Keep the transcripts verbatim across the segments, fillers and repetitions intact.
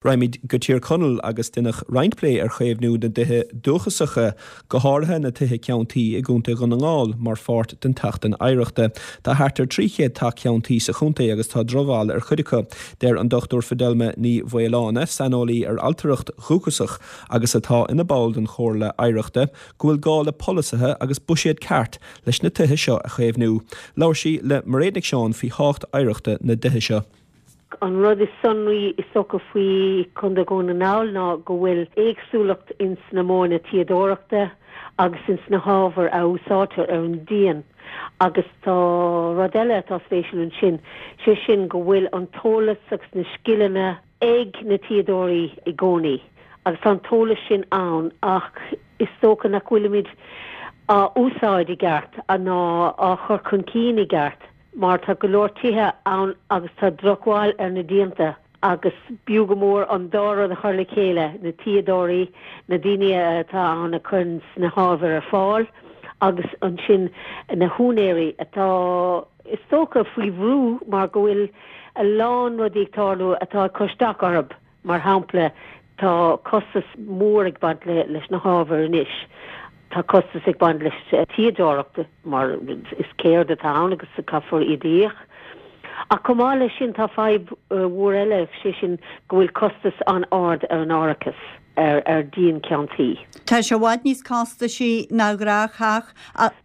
Raghaimid go Tír Chonaill agus deineadh roinnt plé ar chaomhnú na dtithe dúchasacha, go háirithe na tithe ceann tuí i gContae Dhún na nGall mar pháirt den tSeachtain Oidhreachta. Tá thart ar trí chéad teach ceann tuí sa chontae agus tá drochbhail ar chuid acu. Deir an Dr Fidelma Ní Mhaoláine, saineolaí ar ailtireacht dhúchasach agus atá ina ball den Chomhairle Oidhreachta, go bhfuil gá le polasaithe agus buiséad ceart leis na tithe seo a chaomhnú. Labhair sí le Mairéad Nic Seáin faoi thábhacht oidhreachta na dtithe seo. An rud is sonraí is dócha faoi Chontae Dhún na nGall ná go bhfuil éagsúlacht ins na modhanna tuíodóireachta agus ins na hábhair a úsáidtear ar an díon. Agus tá rud eile atá spéisiúil ansin, sé sin go bhfuil an t-eolas agus na scileanna ag na tuíodóirí i gcónaí. Agus tá an t-eolas sin ann ach is dócha nach bhfuilimid á úsáid i gceart ná á chur chun cinn i gceart. mar tá go leor tithe ann agus tá drochbhail ar na díonta agus b'fhiú go mór an dá rud a chur le chéile, na tuíodóirí, na daoine atá ann a chuireann na hábhair ar fáil agus ansin na húinéirí atá is dócha faoi bhrú mar go bhfuil a lán rudaí ag tarlú atá ag cur isteach orthu. Mar shampla, tá costas mór ag baint le, leis na hábhair anois. Tá costas ag baint leis tuíodóireacht mar is ceird atá ann agus caithfear iad a íoc. Ach chomh maith leis sin tá fadhb mhór eile sé sin go bhfuil costas an-ard ar an árachas ar ar dhíon ceann tuí. Tá sé i bhfad níos costasaí ná gnáth-theach.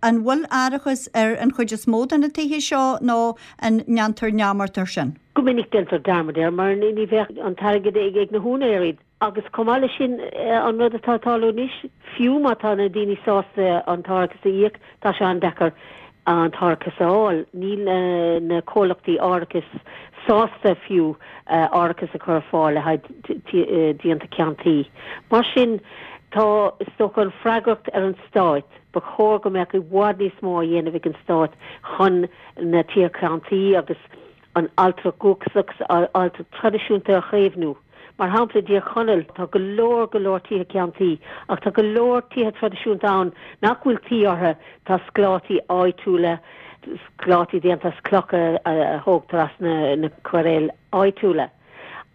An bhfuil árachas ar an chuid is mó de na tithe seo nó an ndéantar neamart air sin? Go minic déantar dearmad air mar ní bheadh an t-airgead ag ag na húinéirí. Agus chomh maith leis sin an rud atá ag tarlú anois, fiú má tá na daoine sásta an t-árachas a íoc, tá sé an-deacair an t-árachas a fháil. Níl na comhlachtaí árachais sásta fiú árachas a chur ar fáil le haghaidh díonta ceann tuí. Mar sin tá is dócha an freagracht ar an stát, ba chóir go mbeadh i bhfad níos mó á dhéanamh ag an stát chun na tithe ceann tuí agus an ailtireacht dhúchasach agus ailtireacht traidisiúnta a chaomhnú. Mar shampla i dTír Chonaill tá go leor go leor tithe ceann tuí ach tá go leor tithe traidisiúnta ann nach bhfuil tuí orthu, tá sclátaí áitiúla, sclátaí déanta as clocha a thógtar as na na cairéil áitiúla.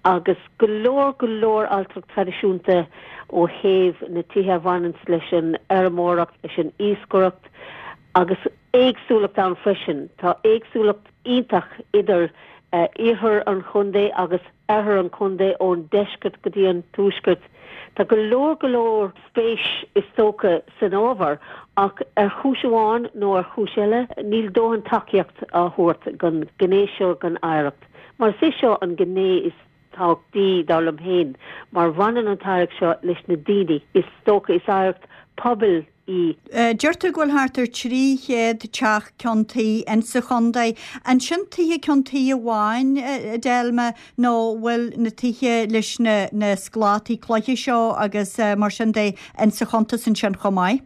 Agus go leor go leor ailtireacht traidisiúnta ó thaobh na tithe a bhaineanns leis an fheirmeoireacht, leis an iascaireacht agus éagsúlacht ann freisin. Tá éagsúlacht iontach idir iarthar an chontae agus oirthear an chontae, ón deisceart go dtí an tuaisceart. Tá go leor go leor spéis is dócha san ábhar ach ar chúis amháin nó ar chúis eile níl dóthain tacaíocht á thabhairt don ghné seo den oidhreacht. Mar is é seo an ghné is tábhachtaí dar liom féin mar bhaineann an t-oidhreacht seo leis na daoine. Is dócha is oidhreacht pobail í. Deir tú go bhfuil thart ar trí chéad teach ceann tuí insa chontae. An sin tithe ceann tuí amháin, a Delma, nó bhfuil na tithe leis na na sclátaí cloiche seo agus mar sin de insa chuntas ansin chomh maith?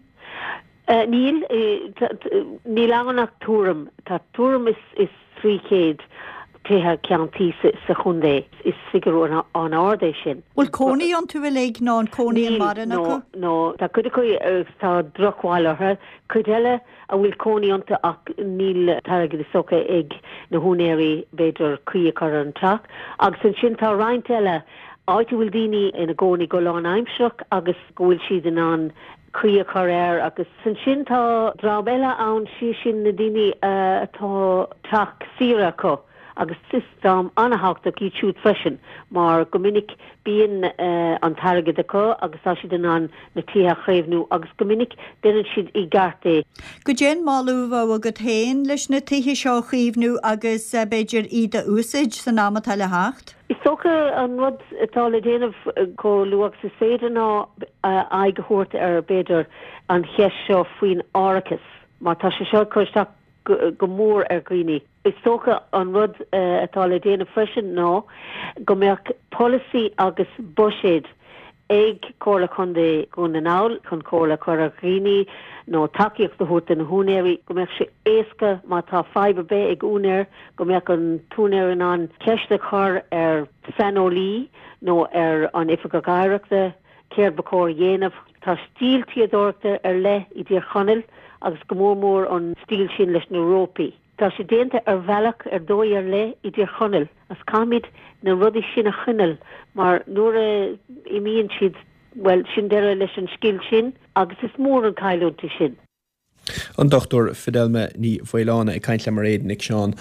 Níl. Níl ann ach tuairim. Tá tuairim is is trí chéad tithe ceann tuí sa chontae. Is figiúr an-ard é sin. Bhfuil cónaí iontu uilig nó an cónaí an maireann acu? Níl, no, tá cuid acu agus tá drochbhail orthu. Cuid eile a bhfuil cónaí iontu ach níl t-airgead is dócha ag na húinéirí b'fhéidir caoi a chur ar an teach. Agus ansin tá roinnt eile, áit a bhfuil daoine ina gcónaí go lánaimsearach agus go bhfuil siad in ann caoi a chur air agus ansin tá dream eile ann, sé sin na daoine atá teach saoire acu agus is dream an-thábhachtach iad siúd freisin mar go minic bíonn an t-airgead acu agus tá siad in ann na tithe a chaomhnú agus go minic déanann siad i gceart é. Goidé an moladh a bheadh agat féin leis na tithe seo a chaomhnú agus b'fhéidir iad a úsáid san am atá le theacht? Is dócha an rud atá le déanamh chomh luath agus is féidir ná aghaidh a thabhairt ar b'fhéidir an cheist seo faoin árachas mar tá sé seo ag cur isteach go mór ar dhaoine. Is dócha an rud atá le déanamh freisin ná go mbeadh polasaí agus buiséad ag Comhairle Chontae Dhún na nGall chun comhairle a chur ar dhaoine nó tacaíocht a thabhairt do na húinéirí, go mbeadh sé éasca má tá fadhb ar bith ag úinéir go mbeadh an t-úinéir in ann ceist a chur ar saineolaí nó ar an Oifigeach Oidhreachta céard ba chóir a dhéanamh. Tá stíl tuíodóireachta ar leith i dTír Chonaill agus go mór mór an stíl sin leis na rópaí. Tá sé déanta ar bhealach ar dóigh ar leith i dTír Chonaill agus caithfimid na rudaí sin a choinneáil mar nuair a imíonn siad, bhuel, sin deireadh leis an scil sin agus is mór an cailliúint é sin. An Dochtúir Fidelma Ní Mhaoláin ag caint le Mairéad Nic Seáin.